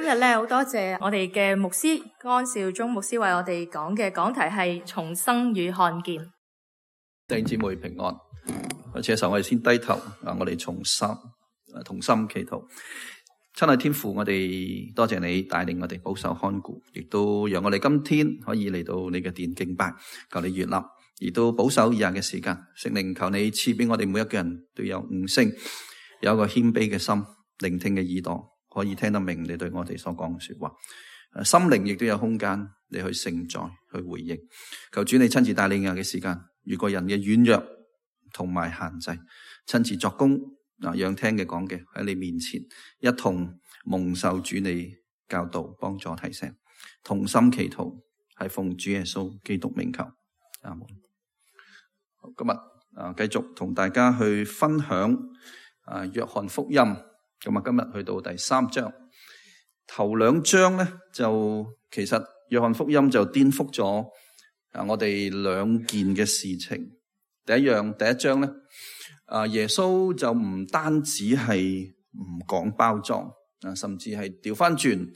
今日咧好多謝我哋嘅牧師江少忠牧師為我哋講嘅講題係重生與看見。弟兄姊妹平安。開始嘅時候我哋先低頭我哋同心祈禱。親愛天父，我哋多謝你帶領我哋保守看顧，亦都讓我哋今天可以嚟到你嘅殿敬拜，求你悅納，亦都保守以下嘅時間。聖靈，求你賜俾我哋每一個人都有悟性，有一個謙卑嘅心，聆聽嘅耳朵，可以聽得明你對我哋所講嘅說話。心靈亦都有空間你去承載，去回應。求主你親自帶領以下嘅時間，越過人嘅軟弱同埋限制，親自作工。讓聽嘅講嘅喺你面前一同蒙受主你教導幫助提醒，同心祈禱，係奉主耶穌基督名求，阿門。今日繼續同大家去分享約翰福音。咁今日去到第3章，頭2章咧就其實約翰福音就顛覆咗我哋2件嘅事情。第一章咧。耶穌就唔單止係唔講包裝，甚至係調翻轉，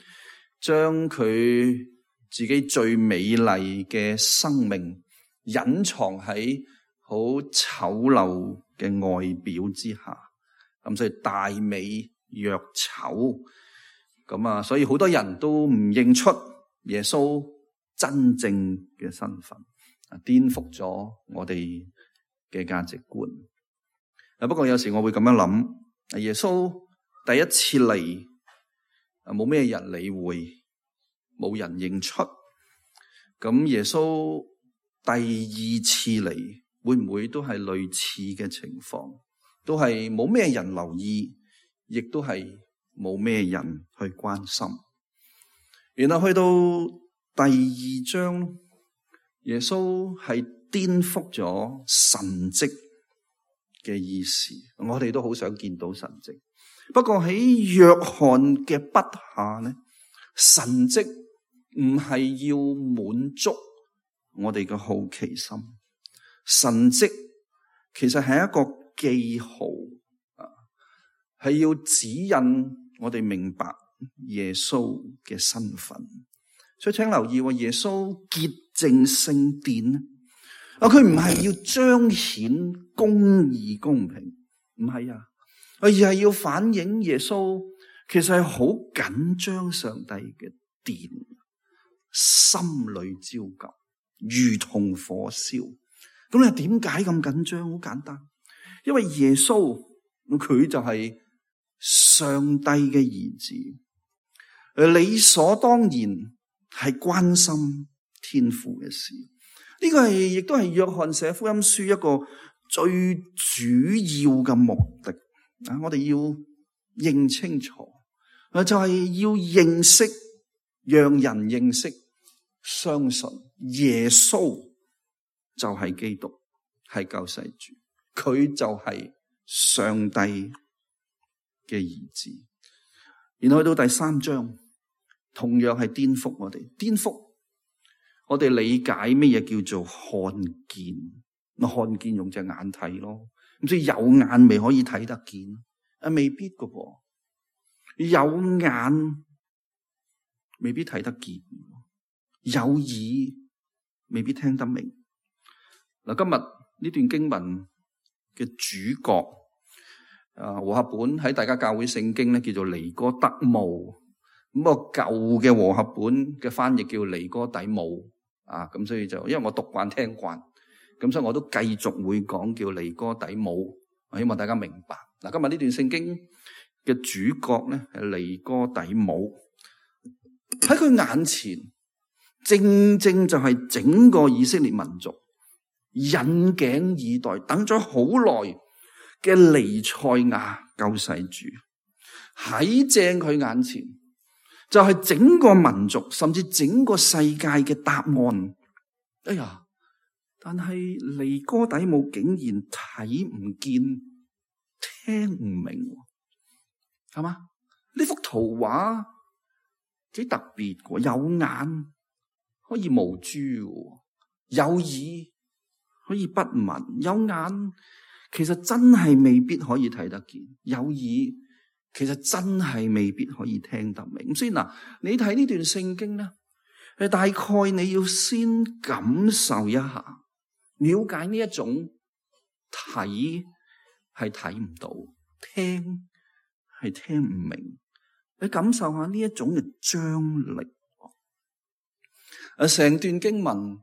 將佢自己最美麗嘅生命隱藏喺好醜陋嘅外表之下，咁所以大美若醜，咁所以好多人都唔認出耶穌真正嘅身份，顛覆咗我哋嘅價值觀。不過有時我會咁樣諗，耶穌第一次嚟，冇咩人理會，冇人認出。咁耶穌第2次嚟，會唔會都係類似嘅情況？都係冇咩人留意，亦都係冇咩人去關心。然後去到第2章，耶穌係顛覆咗神蹟嘅意思，我哋都好想見到神蹟。不過喺約翰嘅筆下咧，神蹟唔係要滿足我哋嘅好奇心，神蹟其實係一個記號，係要指引我哋明白耶穌嘅身份。所以請留意，耶穌潔淨聖殿，佢唔係要彰顯公義公平，唔係而係要反映耶穌其實係好緊張上帝嘅殿，心裏焦急，如同火燒。咁你點解咁緊張？好簡單，因為耶穌佢就係上帝嘅兒子，理所當然係關心天父嘅事。呢個亦都係約翰寫福音書一個最主要嘅目的。我哋要認清楚，就係要認識，讓人認識，相信耶穌就係基督，係救世主，佢就係上帝嘅兒子。然後去到第3章，同樣係顛覆我哋理解乜嘢叫做看見。看見用隻眼睇咯，咁所以有眼咪可以睇得見？未必噶噃，有眼未必睇得見，有耳未必聽得明。今日呢段經文嘅主角，和合本喺大家教會聖經咧叫做尼哥德慕。咁個舊嘅和合本嘅翻譯叫尼哥底母。咁所以就因為我讀慣聽慣，咁所以我都繼續會講叫尼哥底母，我希望大家明白。今日呢段聖經嘅主角咧係尼哥底母，喺佢眼前正正就係整個以色列民族引頸以待，等咗好耐嘅彌賽亞救世主，喺正佢眼前就係整個民族甚至整個世界嘅答案。但係尼哥底母竟然睇唔見，聽唔明，係嘛？呢幅圖畫幾特別嘅，有眼可以無珠，有耳可以不聞，有眼其實真係未必可以睇得見，有耳其實真係未必可以聽得明。咁所以嗱，你睇呢段聖經咧，大概你要先感受一下，了解呢一種睇係睇唔到，聽係聽唔明，你感受下呢一種嘅張力。成段經文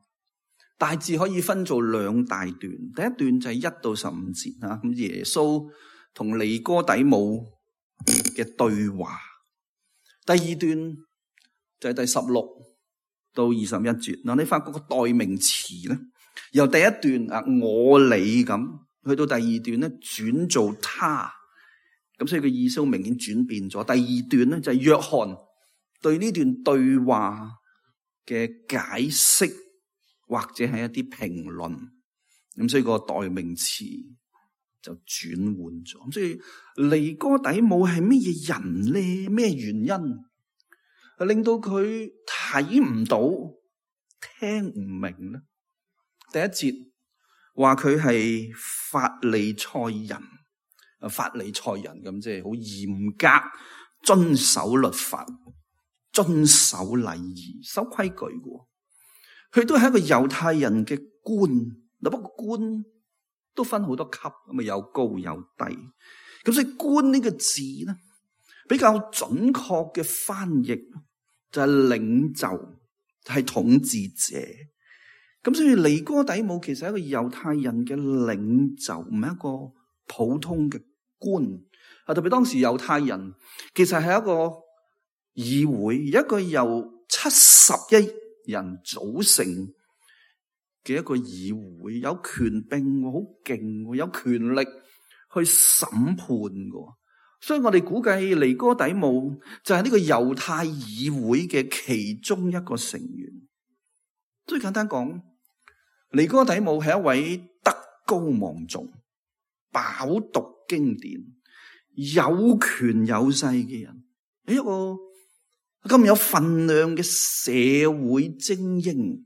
大致可以分做兩大段，第一段就係1到15節啊，咁耶穌同尼哥底母嘅對話。第二段就係第16到21節。嗱，你發覺個代名詞咧，由第一段啊我你咁，去到第二段咧轉做他，咁所以個意思明顯轉變咗。第二段咧就係約翰對呢段對話嘅解釋或者係一啲評論，咁所以個代名詞就轉換咗。咁所以尼哥底母係乜嘢人咧？咩原因令到佢睇唔到、聽唔明咧？第一節話佢係法利賽人，法利賽人咁即係好嚴格遵守律法、遵守禮儀、守規矩嘅。佢都係一個猶太人嘅官，嗱，不過官都分好多級，咁啊有高有低。咁所以官呢個字咧，比較準確嘅翻譯就係領袖，係統治者。咁所以尼哥底母其實係一個猶太人嘅領袖，唔係一個普通嘅官。啊，特別當時猶太人其實係一個議會，一個由71人組成嘅一個議會，有權柄，好勁，有權力去審判嘅。所以我哋估計尼哥底母就係呢個猶太議會嘅其中一個成員。最簡單講，尼哥底母係一位德高望重、飽讀經典、有權有勢嘅人，係一個咁有份量嘅社會精英。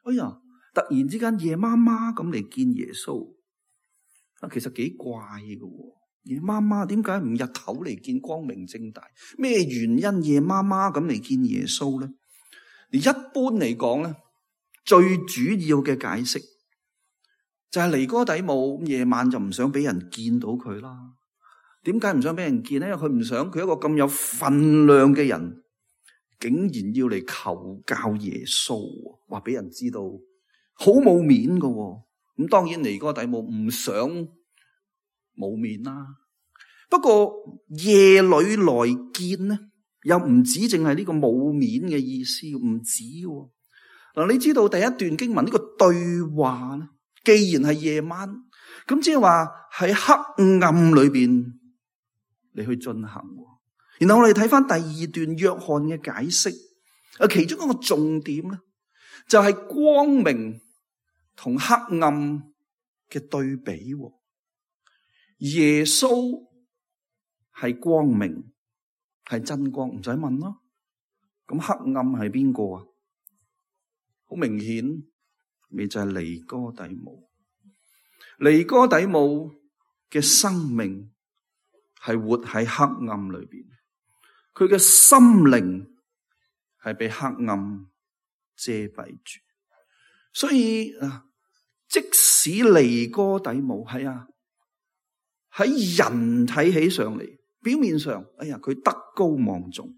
哎呀，突然之間夜媽媽咁嚟見耶穌，其實幾怪嘅。夜媽媽點解唔日頭嚟見，光明正大？咩原因夜媽媽咁嚟見耶穌咧？而一般嚟講咧，最主要嘅解釋就係尼哥底母夜晚就唔想俾人見到佢啦。點解唔想俾人見咧？因為佢唔想佢一個咁有份量嘅人，竟然要嚟求教耶穌，話俾人知道，好冇面噶。咁當然尼哥底母唔想冇面啦。不過夜裏來見呢，又唔止淨係呢個冇面嘅意思，唔止。嗱，你知道第一段經文呢個對話呢，既然係夜晚，咁即係話喺黑暗裏邊嚟去進行。然後我哋睇翻第二段約翰嘅解釋，其中一個重點咧，就係光明同黑暗嘅對比。耶穌係光明，係真光，唔使問咯。咁黑暗係邊個啊？好明顯，咪就係尼哥底母。尼哥底母嘅生命係活喺黑暗裏邊，佢嘅心靈係被黑暗遮蔽住。所以即使尼哥底母喺人睇起上嚟，表面上，哎呀，佢德高望重，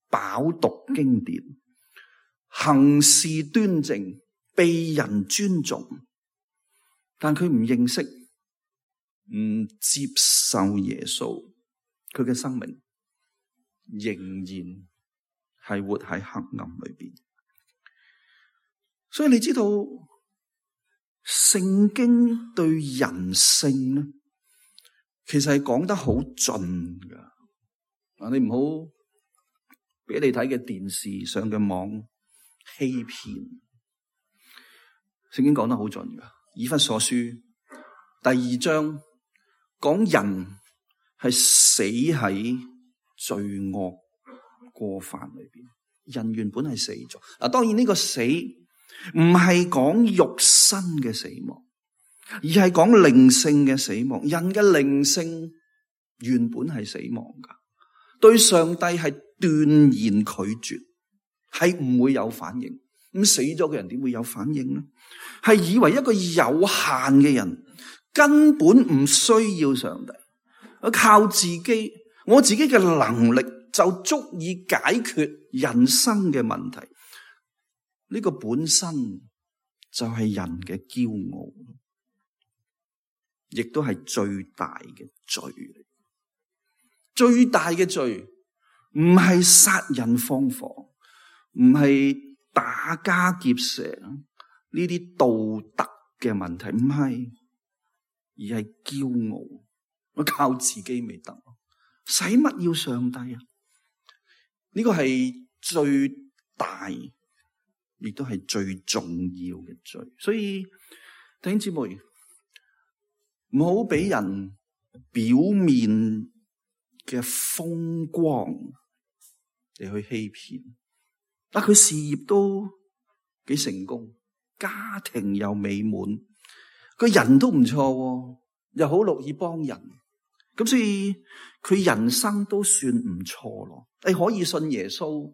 飽讀經典，行事端正，被人尊重，但佢唔認識、唔接受耶穌，佢嘅生命仍然係活喺黑暗裏邊。所以你知道聖經對人性咧，其實係講得好盡噶。你唔好俾你睇嘅電視上嘅網欺騙。聖經講得好盡噶。以弗所書第2章講人係死喺罪惡過犯裏邊，人原本係死咗。當然呢個死唔係講肉身嘅死亡，而係講靈性嘅死亡。人嘅靈性原本係死亡噶，對上帝係斷然拒絕，係唔會有反應。咁死咗嘅人點會有反應呢？係以為一個有限嘅人根本唔需要上帝，靠自己，我自己嘅能力就足以解決人生嘅問題。呢個本身就係人嘅驕傲，亦都係最大嘅罪。最大嘅罪唔係殺人放火，唔係打家劫舍呢啲道德嘅問題，唔係，而係驕傲。我靠自己未得，使乜要上帝啊？呢個係最大，亦都係最重要嘅罪。所以弟兄姊妹，唔好俾人表面嘅風光嚟去欺騙。佢事業都幾成功，家庭又美滿，個人都唔錯，又好樂意幫人，咁所以佢人生都算唔錯咯。你可以信耶穌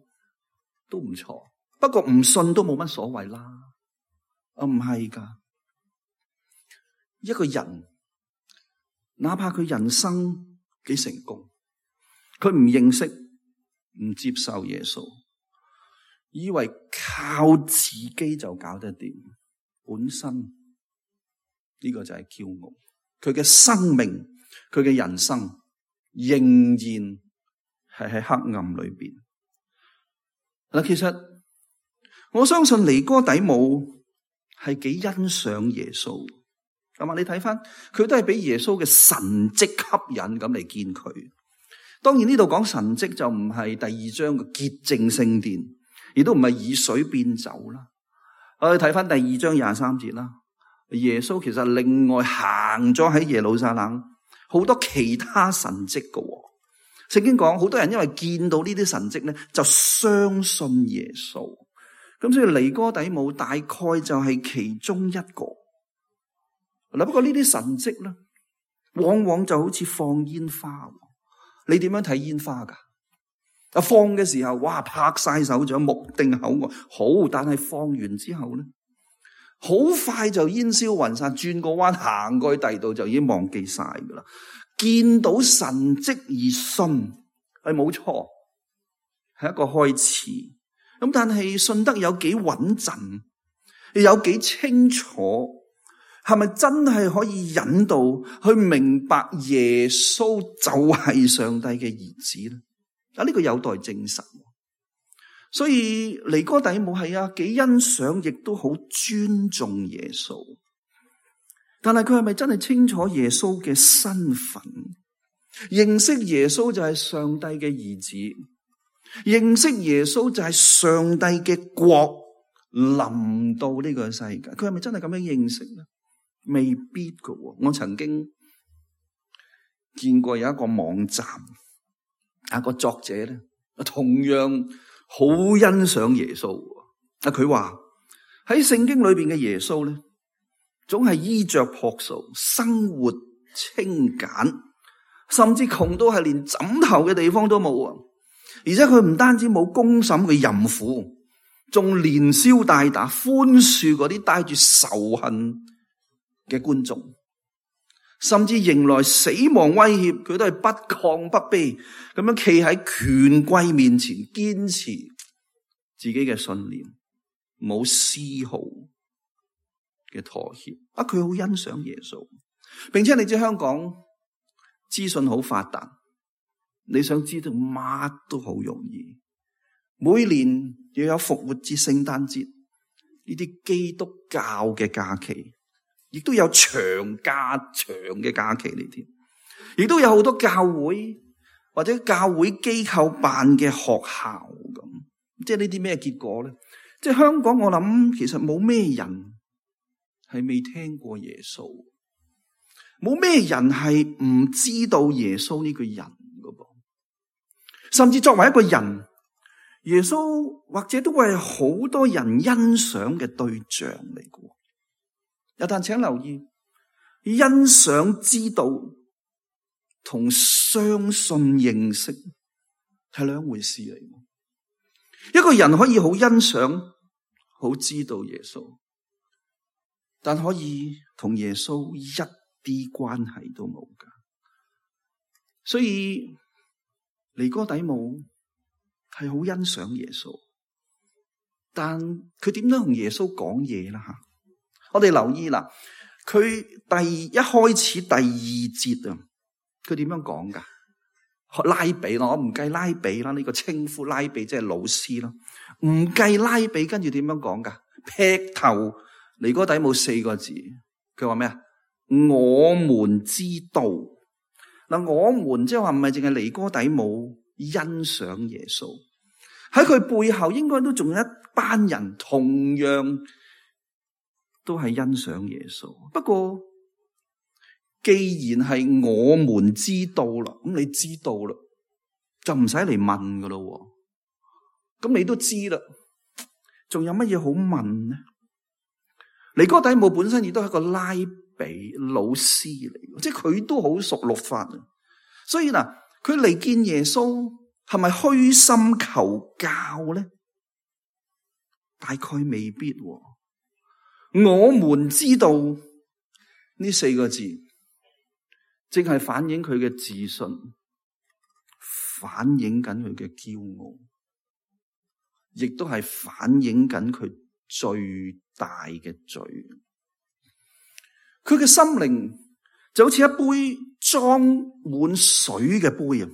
都唔錯，不過唔信都冇乜所謂啦。唔係噶，一個人哪怕佢人生幾成功，佢唔認識、唔接受耶穌，以為靠自己就搞得掂，本身呢個就係驕傲。佢嘅生命、佢嘅人生仍然係喺黑暗裏邊。嗱，其實我相信尼哥底母係幾欣賞耶穌，係嘛？你睇翻佢都係俾耶穌嘅神蹟吸引咁嚟見佢。當然呢度講神蹟就唔係第二章嘅潔淨聖殿，亦都唔係以水變酒啦。我哋睇翻第二章23節啦。耶穌其實另外行咗喺耶路撒冷好多其他神蹟嘅。聖經講好多人因為見到呢啲神蹟咧，就相信耶穌。咁所以尼哥底母大概就係其中一個。嗱，不過呢啲神蹟咧，往往就好似放煙花。你點樣睇煙花噶？放嘅時候，哇，拍晒手掌，目定口呆，好，但係放完之後咧，好快就煙消雲散，轉個彎行過去第二度就已經忘記晒噶啦。見到神蹟而信係冇錯，係一個開始。咁但係信得有幾穩陣，有幾清楚，係咪真係可以引導去明白耶穌就係上帝嘅兒子咧？呢個有待證實。所以尼哥底母係幾欣賞，亦都好尊重耶穌。但係佢係咪真係清楚耶穌嘅身份？認識耶穌就係上帝嘅兒子，認識耶穌就係上帝嘅國臨到呢個世界。佢係咪真係咁樣認識呢？未必噶。我曾經見過有一個網站，一個作者咧，同樣好欣賞耶穌。佢話喺聖經裏邊嘅耶穌咧，總係衣着樸素，生活清簡，甚至窮到係連枕頭嘅地方都冇啊！而且佢唔單止冇公審嘅淫婦，仲連消帶打，寬恕嗰啲帶住仇恨嘅觀眾，甚至迎來死亡威脅，佢都係不亢不卑，咁樣企喺權貴面前，堅持自己嘅信念，冇絲毫嘅妥協。佢好欣賞耶穌，並且你知香港資訊好發達，你想知道乜都好容易。每年又有復活節、聖誕節呢啲基督教嘅假期，亦都有長嘅假期嚟添，亦都有好多教會或者教會機構辦嘅學校咁。即係呢啲咩結果咧？即係香港，我諗其實冇咩人係未聽過耶穌，冇咩人係唔知道耶穌呢個人噶噃。甚至作為一個人，耶穌或者都係好多人欣賞嘅對象嚟嘅。但請留意，欣賞知道同相信認識係兩回事嚟。一個人可以好欣賞、好知道耶穌，但可以同耶穌一啲關係都冇噶。所以尼哥底母係好欣賞耶穌，但佢點樣同耶穌講嘢啦？吓，我哋留意啦，佢一開始第二節啊，佢點樣講噶？拉比啦，我唔計拉比啦，呢個稱呼拉比即係老師啦，唔計拉比，跟住點樣講噶？劈頭尼哥底母4個字，佢話咩啊？我們知道。嗱，我們即係話唔係淨係尼哥底母欣賞耶穌，喺佢背後應該都仲有一班人同樣都係欣賞耶穌。不過既然係我們知道啦，咁你知道啦，就唔使嚟問噶咯。咁你都知啦，仲有乜嘢好問呢？尼哥底母本身亦都係一個拉比老師嚟，即係佢都好熟律法。所以嗱，佢嚟見耶穌係咪虛心求教咧？大概未必。我們知道呢4個字，正係反映佢嘅自信，反映緊佢嘅驕傲，亦都係反映緊佢最大嘅罪。佢嘅心靈就好似一杯裝滿水嘅杯啊，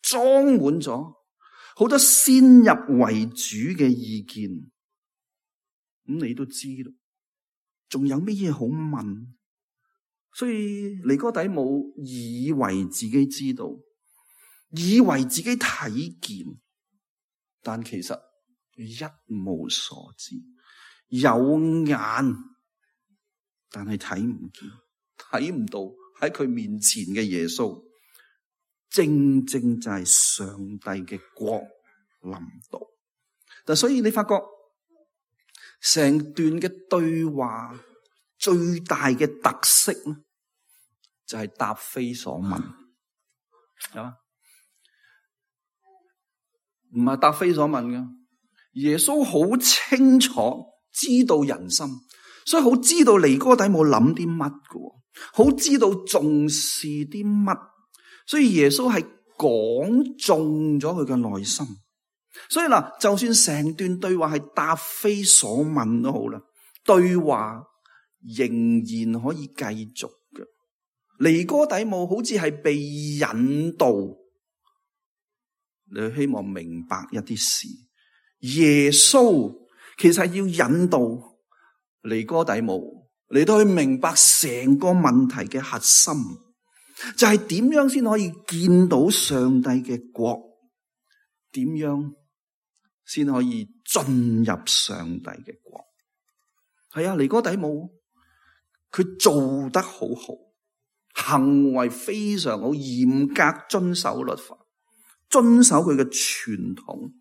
裝滿咗好多先入為主嘅意見。咁你都知啦，仲有乜嘢好問？所以尼哥底母以為自己知道，以為自己睇見，但其實一無所知。有眼，但係睇唔見，睇唔到喺佢面前嘅耶穌，正正就係上帝嘅國臨到。但所以你發覺成段嘅對話最大嘅特色咧，就係答非所問，係嘛？唔係答非所問嘅。耶穌好清楚知道人心，所以好知道尼哥底母諗啲乜嘅，好知道重視啲乜，所以耶穌係講中咗佢嘅內心。所以嗱，就算成段對話係答非所問都好啦，對話仍然可以繼續嘅。尼哥底母好似係被引導，你希望明白一啲事。耶穌其實要引導尼哥底母嚟到去明白成個問題嘅核心，就係點樣先可以見到上帝嘅國，點樣先可以進入上帝嘅國。係啊，尼哥底母佢做得好好，行為非常好，嚴格遵守律法，遵守佢嘅傳統。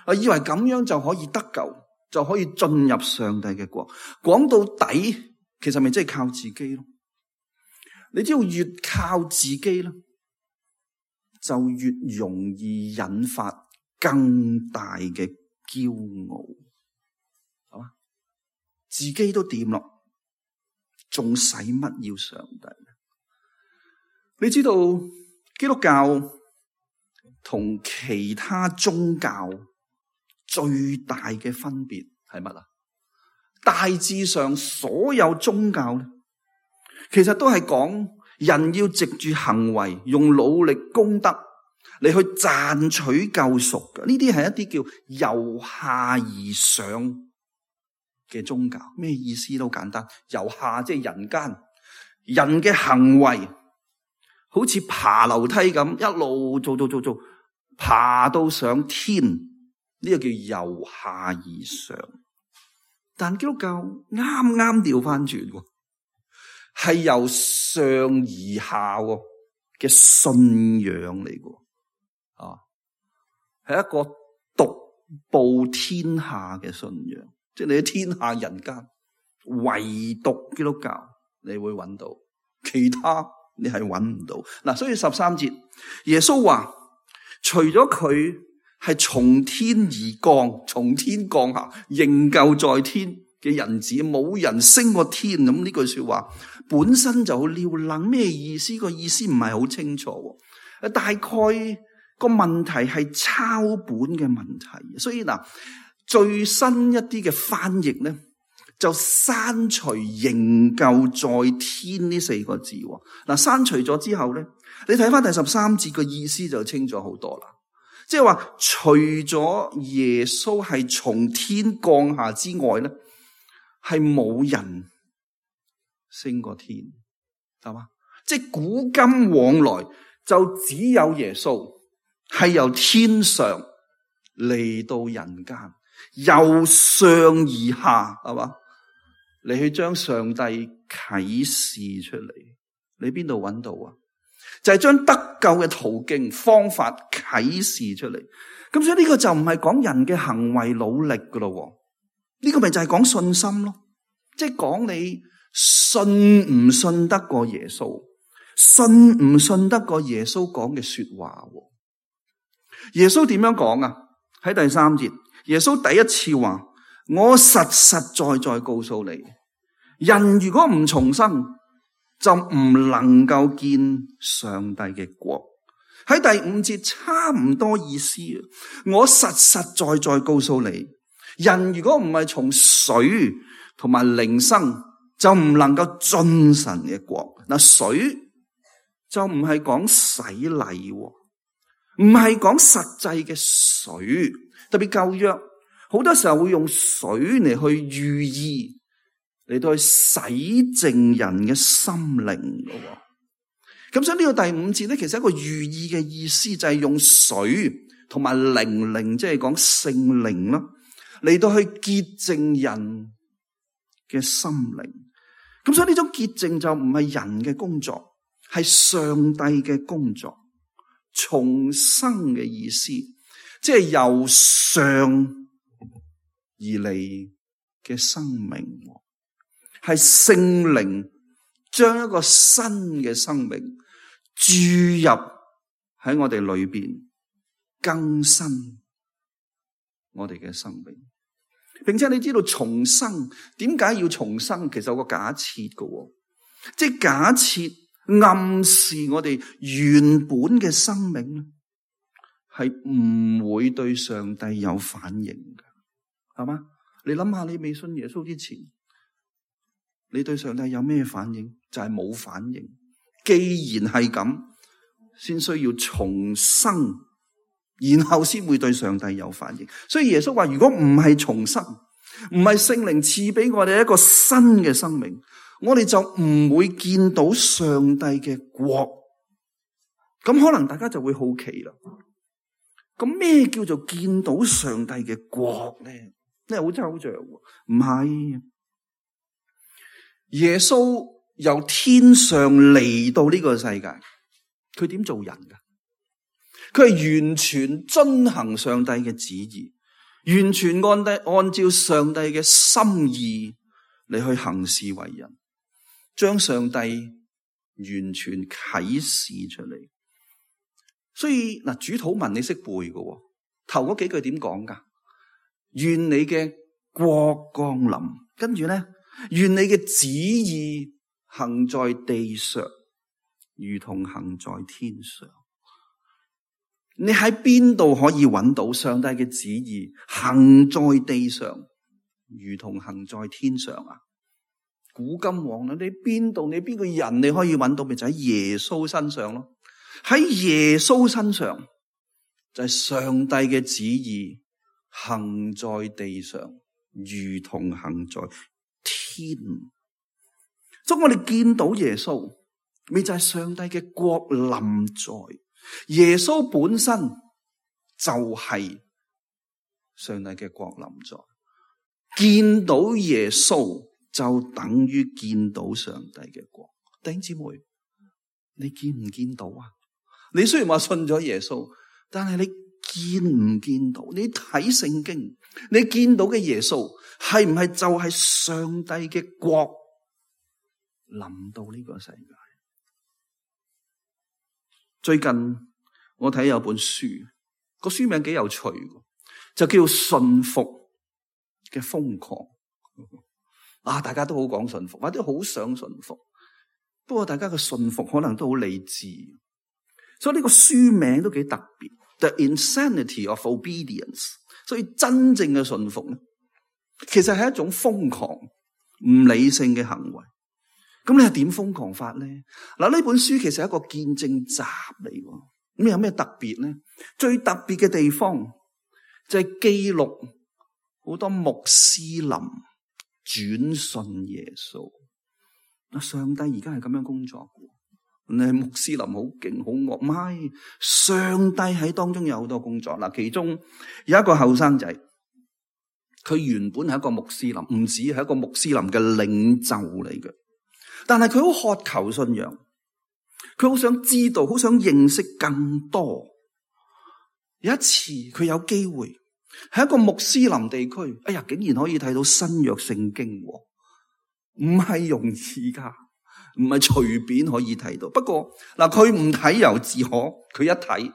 我以為咁樣就可以得救，就可以進入上帝嘅國。講到底，其實咪即係靠自己咯。你知道越靠自己咧，就越容易引發更大嘅驕傲，係嘛？自己都掂咯，仲使乜要上帝？你知道基督教同其他宗教最大嘅分別係乜啊？大致上所有宗教咧，其實都係講人要藉住行為，用努力功德嚟去賺取救贖嘅。呢啲係一啲叫由下而上嘅宗教。咩意思都簡單，由下即係人間，人嘅行為好似爬樓梯咁，一路做，爬到上天。呢個叫由下而上，但基督教啱啱調翻轉，係由上而下嘅信仰嚟嘅，係一個獨步天下嘅信仰。即係你喺天下人間，唯獨基督教你會揾到，其他你係揾唔到。嗱，所以13節耶穌話，除咗佢係從天而降，從天降下，仍舊在天嘅人子，冇人升過天。咁呢句說話本身就好撩楞，咩意思？個意思唔係好清楚。大概個問題係抄本嘅問題，所以嗱，最新一啲嘅翻譯咧，就刪除仍舊在天呢4個字。嗱，刪除咗之後咧，你睇翻第13節個意思就清楚好多啦。即係話，除咗耶穌係從天降下之外咧，係冇人升過天，係嘛？即係古今往來就只有耶穌係由天上嚟到人間，由上而下，係嘛？你去將上帝啟示出嚟，你邊度揾到啊？就係將得救嘅途徑方法啟示出嚟。咁所以呢個就唔係講人嘅行為努力噶咯，呢個咪就係講信心咯，即係講你信唔信得過耶穌，信唔信得過耶穌講嘅說話。耶穌點樣講啊？喺第3節，耶穌第一次話，我實實在在告訴你，人如果唔重生，就唔能夠見上帝嘅國。喺第5節差唔多意思，我實實在在告訴你，人如果唔係從水同埋靈生，就唔能夠進神嘅國。嗱，水就唔係講洗禮，唔係講實際嘅水，特別舊約好多時候會用水嚟去寓意，嚟到去洗淨人嘅心靈咯。咁所以呢個第5節咧，其實一個寓意嘅意思就係用水同埋靈，即係講聖靈啦，嚟到去潔淨人嘅心靈。咁所以呢種潔淨就唔係人嘅工作，係上帝嘅工作。重生嘅意思，即係由上而嚟嘅生命，係聖靈將一個新嘅生命注入喺我哋裏邊，更新我哋嘅生命。並且你知道重生點解要重生？其實有個假設嘅，即係假設暗示我哋原本嘅生命咧係唔會對上帝有反應嘅，係嘛？你諗下，你未信耶穌之前，你對上帝有咩反應？就係冇反應。既然係咁，先需要重生，然後先會對上帝有反應。所以耶穌話，如果唔係重生，唔係聖靈賜俾我哋一個新嘅生命，我哋就唔會見到上帝嘅國。咁可能大家就會好奇啦，咁咩叫做見到上帝嘅國咧？呢係好抽象，唔係。耶穌由天上嚟到呢個世界，佢點做人噶？佢係完全遵行上帝嘅旨意，完全按照上帝嘅心意嚟去行事為人，將上帝完全啟示出嚟。所以嗱，主禱文你識背嘅，頭嗰幾句點講噶？願你嘅國降臨，跟住咧，願你嘅旨意行在地上，如同行在天上。你喺邊度可以揾到上帝嘅旨意行在地上，如同行在天上啊？古今往來，你邊度，你邊個人你可以揾到？咪就喺耶穌身上咯。喺耶穌身上就係上帝嘅旨意行在地上，如同行在天。所以我哋見到耶穌，咪就係上帝嘅國臨在。耶穌本身就係上帝嘅國臨在。見到耶穌就等於見到上帝嘅國。弟兄姊妹，你見唔見到啊？你雖然話信咗耶穌，但係你見唔見到？你睇聖經，你見到嘅耶穌係唔係就係上帝嘅國臨到呢個世界？最近我睇有本書，個書名幾有趣，就叫順服嘅瘋狂。大家都好講順服，或者好想順服，不過大家嘅順服可能都好理智，所以呢個書名都幾特別。The Insanity of Obedience。所以真正嘅順服咧，其實係一種瘋狂、唔理性嘅行為。咁你係點瘋狂法咧？嗱，呢本書其實係一個見證集嚟喎。咁有咩特別咧？最特別嘅地方就係記錄好多穆斯林轉信耶穌。上帝而家係咁樣工作嘅。你穆斯林好勁好惡，唔係，上帝喺當中有好多工作。嗱，其中有一個後生仔，佢原本係一個穆斯林，唔止係一個穆斯林嘅領袖嚟嘅，但係佢好渴求信仰，佢好想知道，好想認識更多。有一次佢有機會喺一個穆斯林地區，竟然可以睇到新約聖經，唔係容易噶。唔係隨便可以睇到，不過嗱，佢唔睇又自可，佢一睇，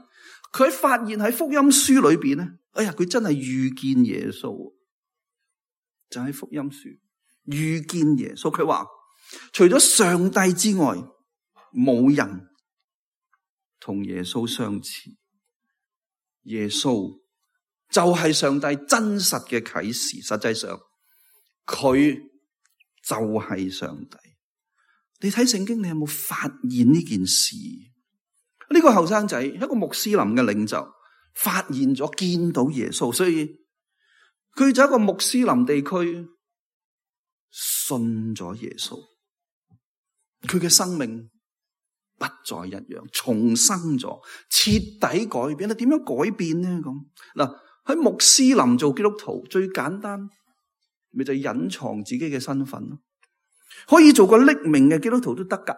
佢發現喺福音書裏邊咧，佢真係遇見耶穌，就喺福音書遇見耶穌。佢話除咗上帝之外，冇人同耶穌相似，耶穌就係上帝真實嘅啟示，實際上佢就係上帝。你睇聖經，你有冇發現呢件事？呢個後生仔一個穆斯林嘅領袖，發現咗見到耶穌，所以佢就一個穆斯林地區信咗耶穌，佢嘅生命不再一樣，重生咗，徹底改變。你點樣改變呢？咁嗱，喺穆斯林做基督徒最簡單，咪就係隱藏自己嘅身份咯。可以做個匿名嘅基督徒都得噶，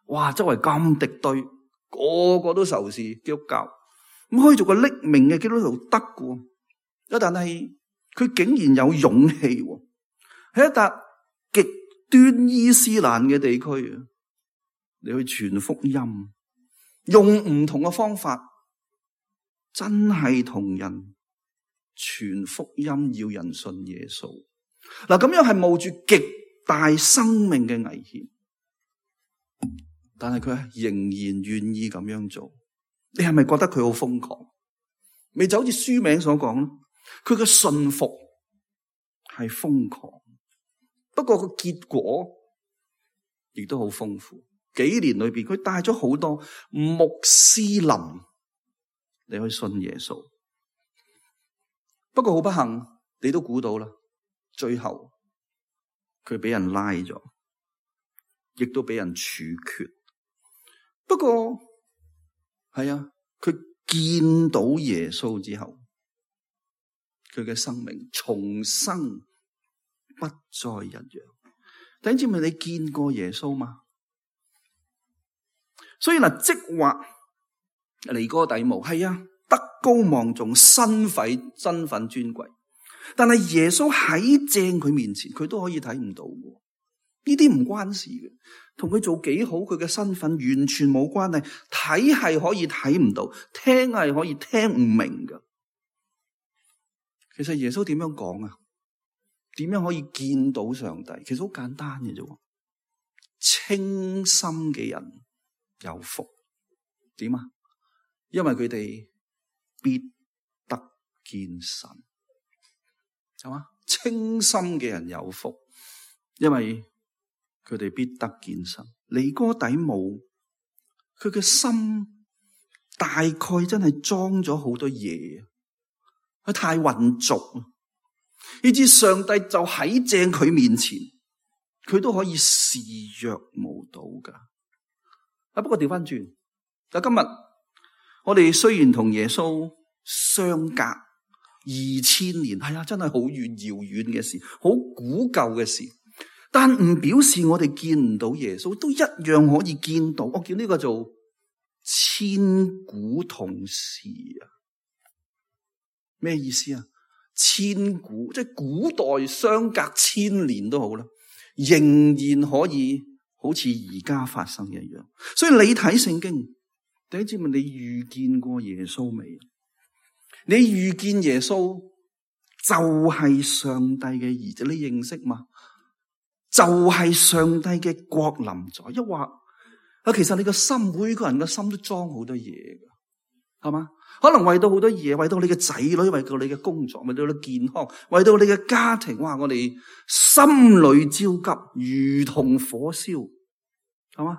哇！周圍咁敵對，個個都仇視基督教，咁可以做個匿名嘅基督徒得嘅，但係佢竟然有勇氣喺一笪極端伊斯蘭嘅地區啊，你去傳福音，用唔同嘅方法，真係同人傳福音，要人信耶穌。嗱，咁樣係冒住極大生命嘅危險，但係佢仍然願意咁樣做。你係咪覺得佢好瘋狂？咪就好似書名所講咯，佢嘅信服係瘋狂，不過個結果亦都好豐富。幾年裏邊，佢帶咗好多穆斯林嚟去信耶穌。不過好不幸，你都估到啦，最後佢俾人拉咗，亦都俾人處決。不過係啊，佢見到耶穌之後，佢嘅生命重生，不再一樣。弟兄姊妹，你見過耶穌嗎？所以嗱，即話尼哥底母係啊，德高望重，身份尊貴。但係耶穌喺正佢面前，佢都可以睇唔到嘅。呢啲唔關事嘅，同佢做幾好，佢嘅身份完全冇關係。睇係可以睇唔到，聽係可以聽唔明嘅。其實耶穌點樣講啊？點樣可以見到上帝？其實好簡單嘅啫。清心嘅人有福。點啊？因為佢哋必得見神。係嘛？清心嘅人有福，因為佢哋必得見神。尼哥底母，佢嘅心大概真係裝咗好多嘢，佢太混濁，以致上帝就喺正佢面前，佢都可以視若無睹噶。不過調翻轉，今日我哋雖然同耶穌相隔2000年，係啊，真係好遠遙遠嘅事，好古舊嘅事，但唔表示我哋見唔到耶穌，都一樣可以見到。我叫呢個做千古同時啊。咩意思啊？千古即係古代相隔1000年都好啦，仍然可以好似而家發生一樣。所以你睇聖經，弟兄姊妹，你遇見過耶穌未？你遇見耶穌就係上帝嘅兒子，你認識嗎？就係上帝嘅國臨在，抑或其實你個心，每個人嘅心都裝好多嘢㗎，係嘛？可能為到好多嘢，為到你嘅仔女，為到你嘅工作，為到你健康，為到你嘅家庭，哇！我哋心裏焦急，如同火燒，係嘛？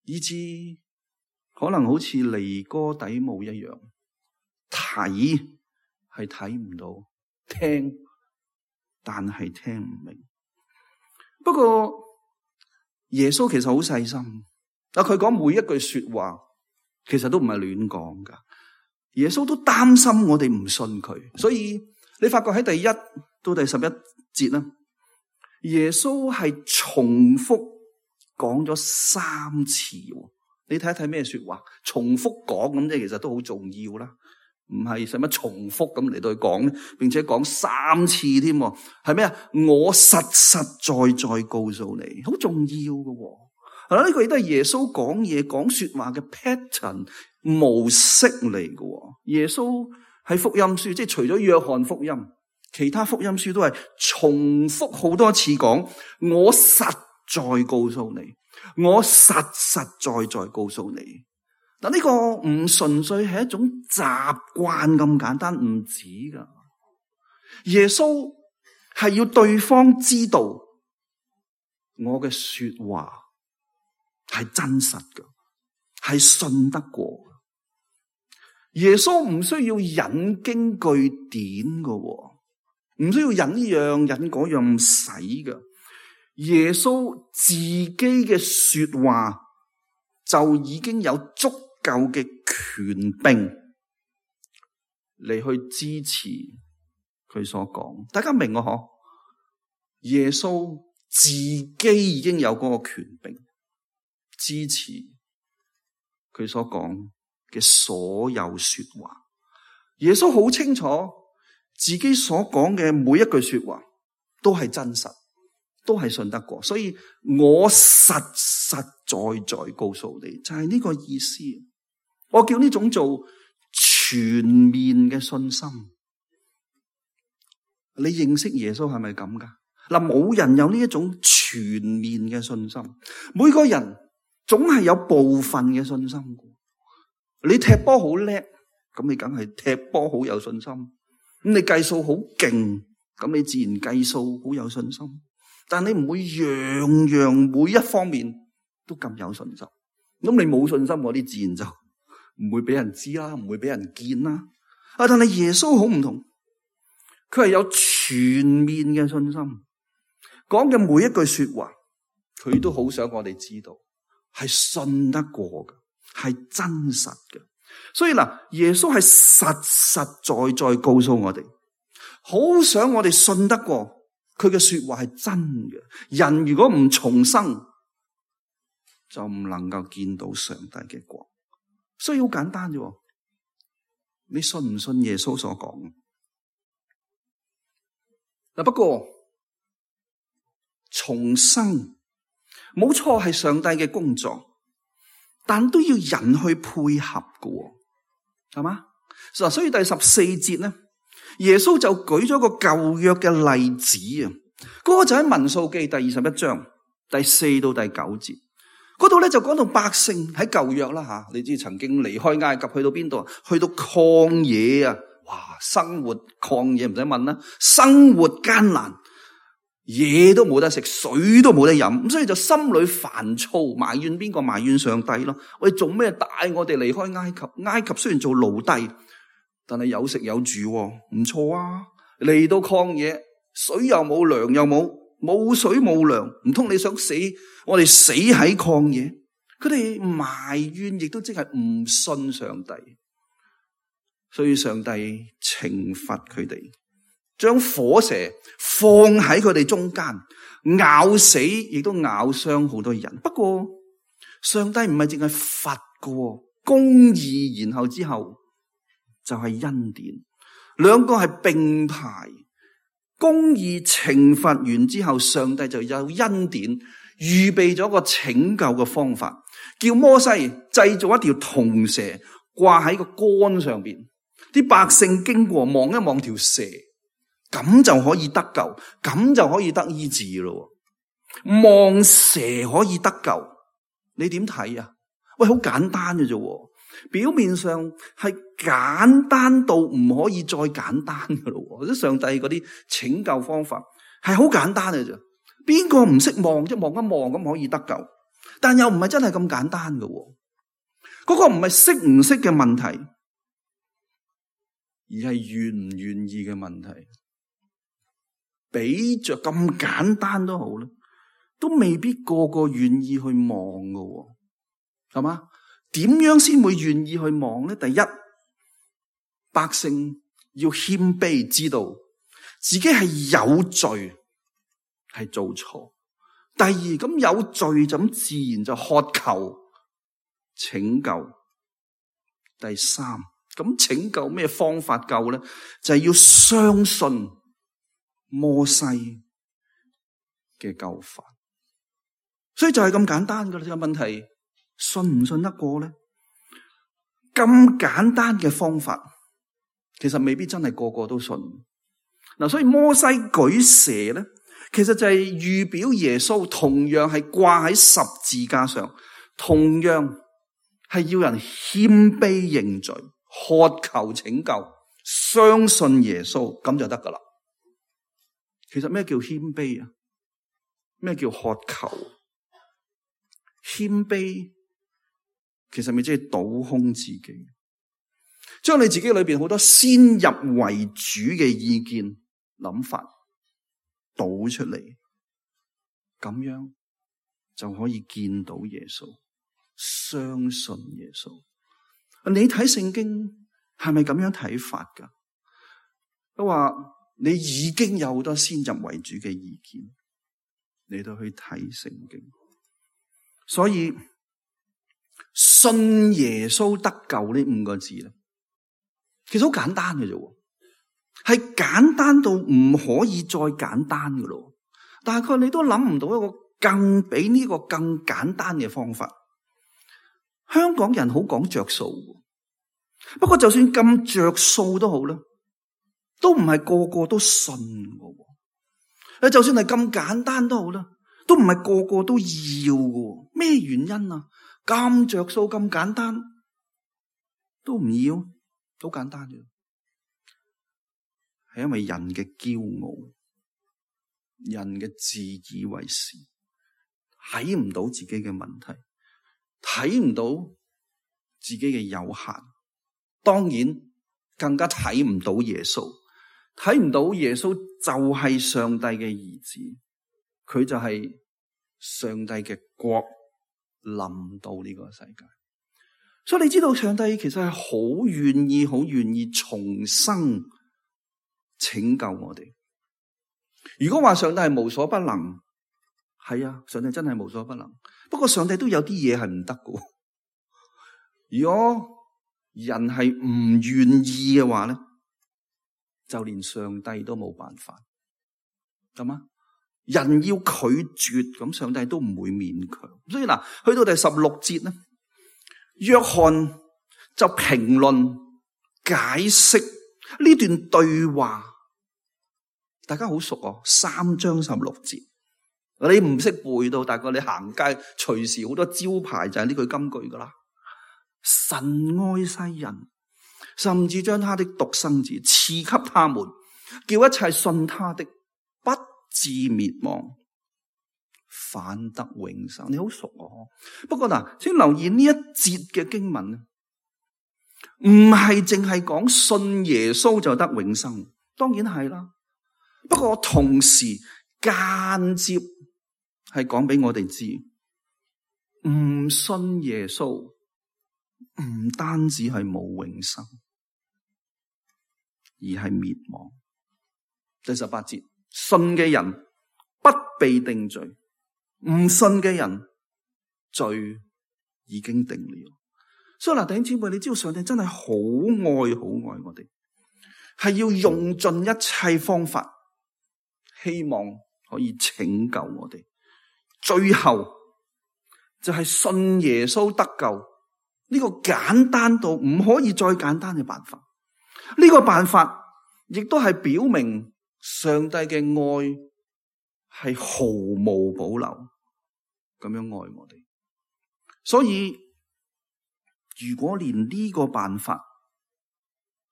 以致可能好似尼哥底母一樣，睇係睇唔到，聽但係聽唔明。不過耶穌其實好細心，佢講每一句說話，其實都唔係亂講噶。耶穌都擔心我哋唔信佢，所以你發覺喺第一到第11節啦，耶穌係重複講咗3次。你睇一睇咩說話，重複講咁，即係其實都好重要啦。唔係使乜重複咁嚟到去講，並且講3次添，係咩啊？我實實在在告訴你，好重要嘅。係啦，呢個亦都係耶穌講嘢講說話嘅 pattern 模式嚟嘅。耶穌喺福音書，即係除咗約翰福音，其他福音書都係重複好多次講，我實在告訴你，我實實在在告訴你。嗱，呢個唔純粹係一種習慣咁簡單，唔止噶。耶穌係要對方知道我嘅說話係真實嘅，係信得過嘅。耶穌唔需要引經據典嘅，唔需要引呢樣引嗰樣，唔使嘅。耶穌自己嘅說話就已經有足夠嘅權柄嚟去支持佢所講，大家明我嗬？耶穌自己已經有嗰個權柄支持佢所講嘅所有說話。耶穌好清楚自己所講嘅每一句說話都係真實，都係信得過，所以我實實在在告訴你，就係呢個意思。我叫呢種做全面嘅信心。你認識耶穌係咪咁噶？嗱，冇人有呢一種全面嘅信心，每個人總係有部分嘅信心。你踢波好叻，咁你梗係踢波好有信心。咁你計數好勁，咁你自然計數好有信心。但你唔會樣樣每一方面都咁有信心。咁你冇信心嗰啲自然就唔會俾人知啦，唔會俾人見啦。但係耶穌好唔同，佢係有全面嘅信心，講嘅每一句說話，佢都好想我哋知道係信得過嘅，係真實嘅。所以嗱，耶穌係實實在在告訴我哋，好想我哋信得過佢嘅說話係真嘅。人如果唔重生，就唔能夠見到上帝嘅國。所以好簡單啫，你信唔信耶穌所講？嗱，不過重生冇錯係上帝嘅工作，但都要人去配合嘅，係嘛？所以第14節咧，耶穌就舉咗個舊約嘅例子啊，嗰個就喺民數記第21章第4到第9節。嗰度咧就講到百姓喺舊約啦吓，你知曾經離開埃及去到邊度？去到曠野啊！哇，生活曠野唔使問啦，生活艱難，嘢都冇得食，水都冇得飲，咁所以就心裏煩躁，埋怨邊個？埋怨上帝咯。喂，做咩帶我哋離開埃及？埃及雖然做奴隸，但係有食有住，唔錯啊！嚟到曠野，水又冇，糧又冇水冇糧，唔通你想死？我哋死喺曠野，佢哋埋怨，亦都即係唔信上帝，所以上帝懲罰佢哋，將火蛇放喺佢哋中間，咬死，亦都咬傷好多人。不過上帝唔係淨係罰嘅，公義，然後之後就係恩典，兩個係並排。公義懲罰完之後，上帝就有恩典，預備咗個拯救嘅方法，叫摩西製造一條銅蛇掛喺個杆上邊，啲百姓經過望一望條蛇，咁就可以得救，咁就可以得醫治咯。望蛇可以得救，你點睇啊？喂，好簡單嘅啫，表面上係簡單到唔可以再簡單嘅咯。或者上帝嗰啲拯救方法係好簡單嘅啫，邊個唔識望啫？望一望咁可以得救，但又唔係真係咁簡單嘅。嗰個唔係識唔識嘅問題，而係願唔願意嘅問題。比着咁簡單都好啦，都未必個個願意去望嘅，係嘛？點樣先會願意去望呢？第一，百姓要謙卑，知道自己係有罪，係做錯。第二，咁有罪就咁自然就渴求拯救。第三，咁拯救咩方法救呢？就係要相信摩西嘅救法。所以就係咁簡單噶啦。呢個問題信唔信得過呢？咁簡單嘅方法，其實未必真係個個都信。嗱，所以摩西舉蛇咧，其實就係預表耶穌同樣係掛喺十字架上，同樣係要人謙卑認罪，渴求拯救，相信耶穌，咁就得噶啦。其實咩叫謙卑啊？咩叫渴求？謙卑其實咪即係倒空自己，將你自己裏邊好多先入為主嘅意見諗法倒出嚟，咁樣就可以見到耶穌，相信耶穌。你睇聖經係咪咁樣睇法噶？都話你已經有好多先入為主嘅意見，你都去睇聖經。所以信耶穌得救呢5個字咧，其實好簡單嘅啫，係簡單到唔可以再簡單嘅咯。大概你都諗唔到一個比呢個更簡單嘅方法。香港人好講着數，不過就算咁着數都好啦，都唔係個個都信嘅。就算係咁簡單都好啦，都唔係個個都要嘅。咩原因啊？咁着數咁簡單都唔要，好簡單嘅，係因為人嘅驕傲，人嘅自以為是，睇唔到自己嘅問題，睇唔到自己嘅有限，當然更加睇唔到耶穌，睇唔到耶穌就係上帝嘅兒子，佢就係上帝嘅國臨到呢個世界。所以你知道上帝其實係好願意重生拯救我哋。如果話上帝係無所不能，係啊，上帝真係無所不能。不過上帝都有啲嘢係唔得嘅。如果人係唔願意嘅話咧，就連上帝都冇辦法，係嘛？人要拒絕，咁上帝都唔會勉強。所以嗱，去到第16節咧，約翰就評論解釋呢段對話。大家好熟哦，3章16節，你唔識背到，大概你行街隨時好多招牌就係呢句金句噶啦。神愛世人，甚至將他的獨生子賜給他們，叫一切信他的不至滅亡，反得永生。你好熟哦。不過嗱，請留意呢一節嘅經文，唔係淨係講信耶穌就得永生，當然係啦。不過同時間接係講俾我哋知，唔信耶穌唔單止係冇永生，而係滅亡。第18節，信嘅人不被定罪，唔信嘅人罪已經定了。所以嗱，弟兄姊妹，你知道上帝真係好愛我哋，係要用盡一切方法，希望可以拯救我哋，最後就係信耶穌得救，呢個簡單到唔可以再簡單嘅辦法。呢個辦法亦都係表明上帝嘅愛係毫無保留咁樣愛我哋。所以如果連呢個辦法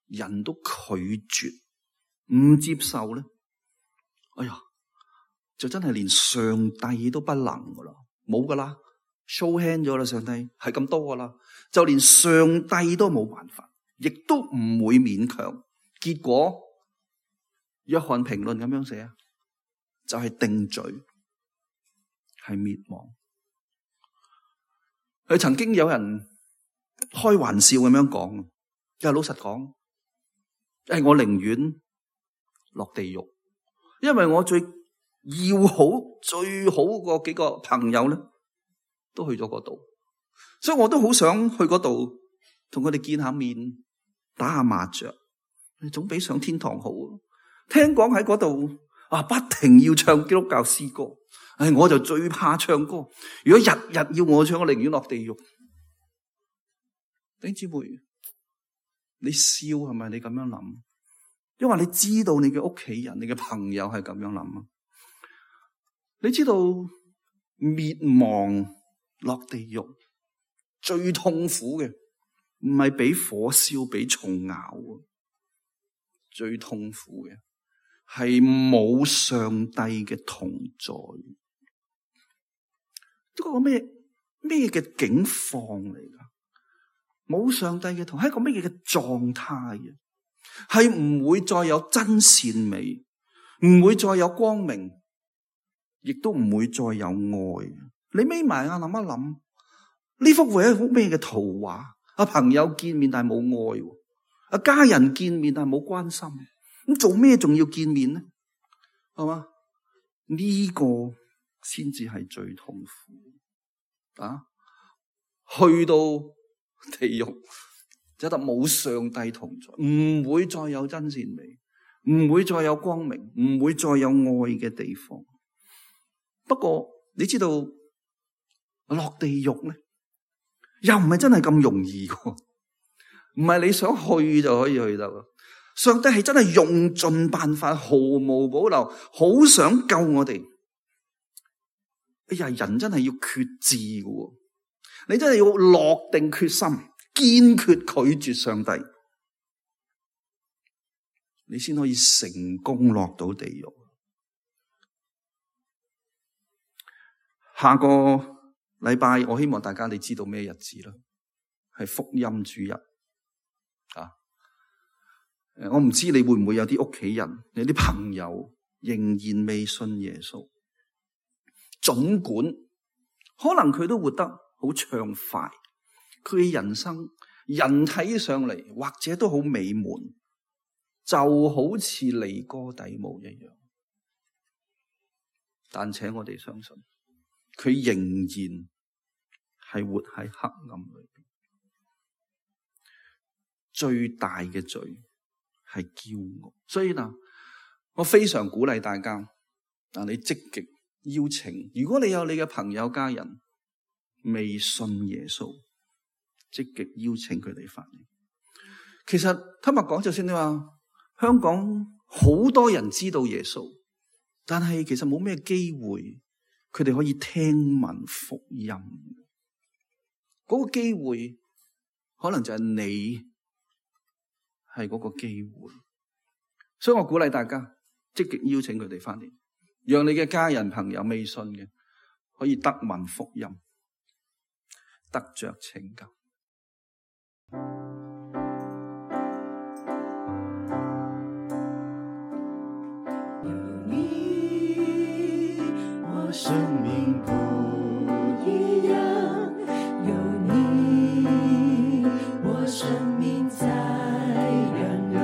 人都拒絕唔接受咧，哎呀，就真係連上帝都不能噶啦，冇噶啦，show hand 咗啦，上帝係咁多噶啦，就連上帝都冇辦法，亦都唔會勉強。結果約翰評論咁樣寫，就係定罪，係滅亡。佢曾經有人開玩笑咁樣講，又老實講，我寧願落地獄，因為我最要好最好嗰幾個朋友咧，都去咗嗰度，所以我都好想去嗰度同佢哋見下面，打下麻雀，總比上天堂好。聽講喺嗰度不停要唱基督教詩歌，我就最怕唱歌。如果日日要我唱，我寧願落地獄。弟兄姊妹，你笑係咪？你咁樣諗，因為你知道你嘅屋企人、你嘅朋友係咁樣諗啊。你知道滅亡落地獄最痛苦嘅，唔係俾火燒、俾蟲咬，最痛苦嘅係冇上帝嘅同在。呢個咩嘅境況嚟噶？冇上帝嘅同，係一個咩嘅狀態啊？係唔會再有真善美，唔會再有光明，亦都唔會再有愛。你眯埋眼諗一諗，呢幅會係一幅咩嘅圖畫？朋友見面但係冇愛，家人見面但係冇關心，咁做咩仲要見面呢？係嘛？呢個先至係最痛苦啊！去到地獄，就得冇上帝同在，唔會再有真善美，唔會再有光明，唔會再有愛嘅地方。不過你知道落地獄咧，又唔係真係咁容易嘅，唔係你想去就可以去得。上帝係真係用盡辦法，毫無保留，好想救我哋。人真係要決志嘅，你真係要落定決心，堅決拒絕上帝，你先可以成功落到地獄。下個禮拜我希望大家你知道咩日子啦？係福音主日啊！我唔知你會唔會有啲屋企人、有啲朋友仍然未信耶穌。儘管可能佢都活得好暢快，佢嘅人生人睇上嚟或者都好美滿，就好似尼哥底母一樣。但請我哋相信，佢仍然係活喺黑暗裏邊。最大嘅罪係驕傲，所以嗱，我非常鼓勵大家，你積極邀請，如果你有你嘅朋友家人未信耶穌，積極邀請佢哋翻嚟。其實坦白講，就算你話香港好多人知道耶穌，但係其實冇咩機會佢哋可以聽聞福音。嗰個機會可能就係你係嗰個機會，所以我鼓勵大家積極邀請佢哋翻嚟，讓你嘅家人朋友未信嘅可以得聞福音，得着拯救。有你，我生命不一樣，有你，我生命在徜徉，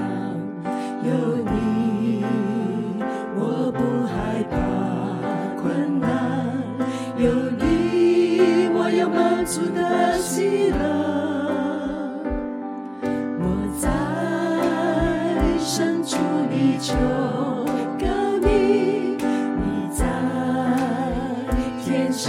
有你，我不害怕困難，有你，我有滿足的喜樂。我在深處裡求告你，你在天上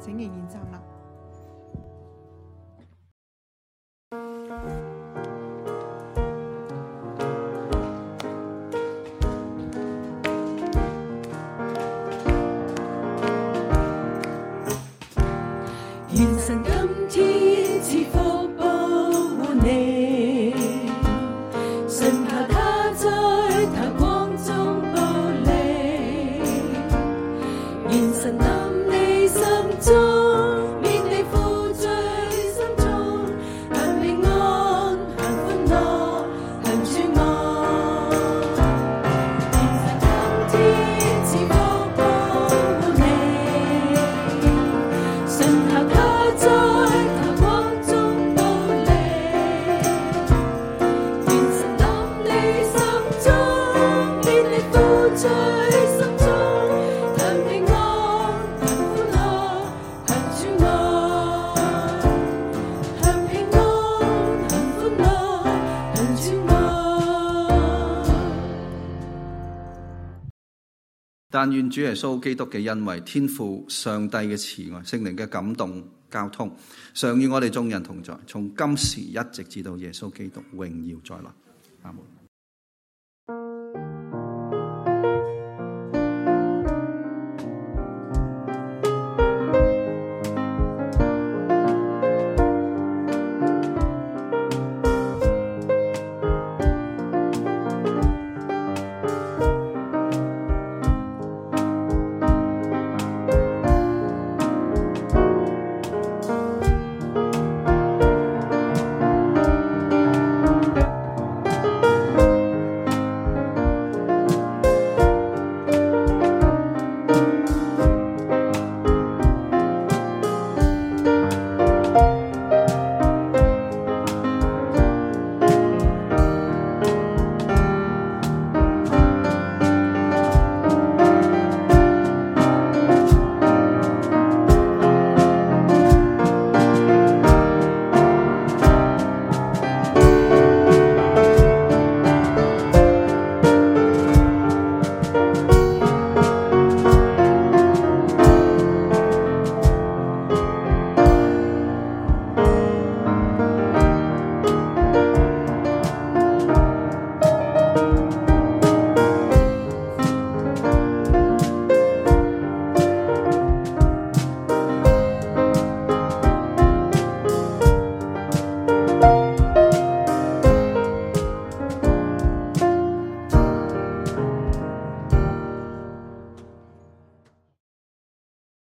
請仍然站立。願神今天賜福保護你，信靠他在他光中保你。願神臨你心中，免你負罪心中，享平安，享歡樂，享主愛。願神今天賜福保護你，信靠他在他光中保你。願神臨你心中，免你負罪心中，享平安，享歡樂，享主愛。享平安，享歡樂，享主愛。但願主耶穌基督嘅恩惠、天父上帝嘅慈愛、聖靈嘅感動交通，常與我哋眾人同在，從今時一直至到耶穌基督榮耀再來。阿門。